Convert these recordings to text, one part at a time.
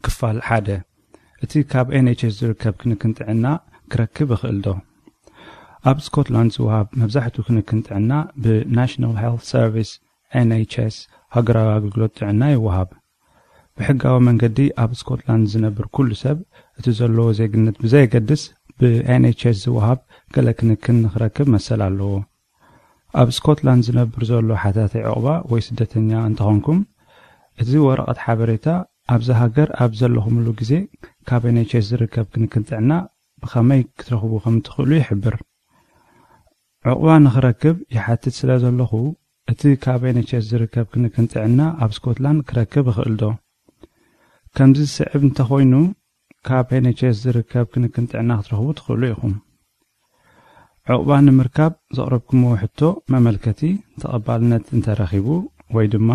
ክፋል ሓደ፣ እቲ ካብ ኤን ኤች ኤስ ዝርከብ ክንክን ጥዕና ክረክብ ይኽእል ዶ? ኣብ ስኮትላንድ ዝወሃብ መብዛሕትኡ ክንክን ጥዕና ብ National Health Service፣ ኤን ኤች ኤስ፣ ሃገራዊ ኣገልግሎት ጥዕና ይወሃብ። ብሕጋዊ መንገዲ ኣብ ስኮትላንድ ዝነብር ኩሉ ሰብ፣ እቲ ዘለዎ ዜግነት ብዘየገድስ፣ ብ ኤን ኤች ኤስ ዝወሃብ ገለ ክንክን ንኽረክብ መሰል ኣለዎ። ኣብ ስኮትላንድ ዝነብር ዘሎ ሓታቲ ዕቑባ ወይ ስደተኛ እንተኾንኩም፣ እዚ ወረቐት ሓበሬታ ኣብዛ ሃገር ኣብ ዘለኹምሉ ግዜ ካብ ኤን ኤች ኤስ ዝርከብ ክንክን ጥዕና ብኸመይ ክትረኽቡ ከም ትኽእሉ ይሕብር። ዕቑባ ንኽረክብ ይሓትት ስለ ዘለኹ፣ እቲ ካብ ኤን ኤች ኤስ ዝርከብ ክንክን ጥዕና ኣብ ስኮትላንድ ክረክብ ይኽእል ዶ? ከምዚ ዝስዕብ እንተኾይኑ፣ ካብ ኤን ኤች ኤስ ዝርከብ ክንክን ጥዕና ክትረኽቡ ትኽእሉ ኢኹም። ዕቑባ ንምርካብ ዘቕረብኩምዎ ሕቶ መመልከቲ ተቐባልነት እንተረኺቡ፣ ወይ ድማ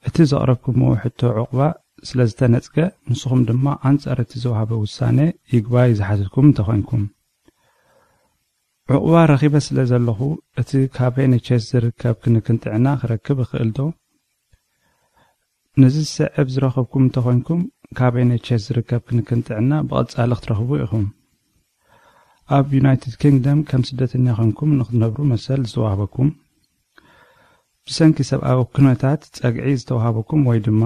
እቲ ዘቕረብኩምዎ ሕቶ ዕቑባ ስለ ዝተነጽገ፣ ንስኹም ድማ ኣንጻር እቲ ዝወሃበ ውሳነ ይግባይ ዝሓተትኩም እንተኾይንኩም። ዕቑባ ረኺበ ስለ ዘለኹ፣ እቲ ካብ ኤን ኤች ኤስ ዝርከብ ክንክን ጥዕና ክረክብ እኽእል ዶ? ነዚ ዝስዕብ ዝረኸብኩም እንተኾይንኩም፣ ካብ ኤን ኤች ኤስ ዝርከብ ክንክን ጥዕና ብቐጻሊ ክትረኽቡ ኢኹም። ኣብ ዩናይትድ ኪንግደም ከም ስደተኛ ኾንኩም ንኽትነብሩ መሰል ዝተዋህበኩም፣ ብሰንኪ ሰብኣዊ ኩነታት ጸግዒ ዝተዋህበኩም ወይ ድማ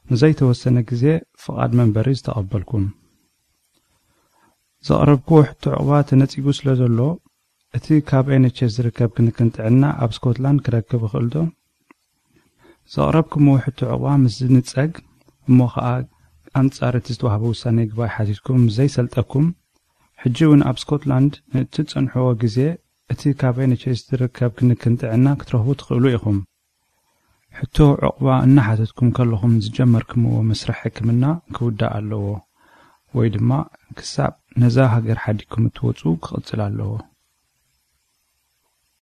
ንዘይተወሰነ ግዜ ፍቓድ መንበሪ ዝተቐበልኩም። ዘቕረብክዎ ሕቶ ዕቑባ ተነጺጉ ስለ ዘሎ፣ እቲ ካብ ኤን ኤች ኤስ ዝርከብ ክንክን ጥዕና ኣብ ስኮትላንድ ክረክብ ይኽእል ዶ? ዘቕረብኩምዎ ሕቶ ዕቑባ ምስ ዝንጸግ፣ እሞ ኸኣ ኣንጻር እቲ ዝተዋህበ ውሳነ ይግባይ ሓቲትኩም ምስ ዘይሰልጠኩም፣ ሕጂ እውን ኣብ ስኮትላንድ ንእትጸንሕዎ ግዜ፣ እቲ ካብ ኤን ኤች ኤስ ዝርከብ ክንክን ጥዕና ክትረኽቡ ትኽእሉ ኢኹም። ሕቶ ዕቑባ እናሓተትኩም ከለኹም ዝጀመርክምዎ መስርሕ ሕክምና ክውዳእ ኣለዎ፣ ወይ ድማ ክሳብ ነዛ ሃገር ሓዲግኩም እትወጹ ክቕጽል ኣለዎ።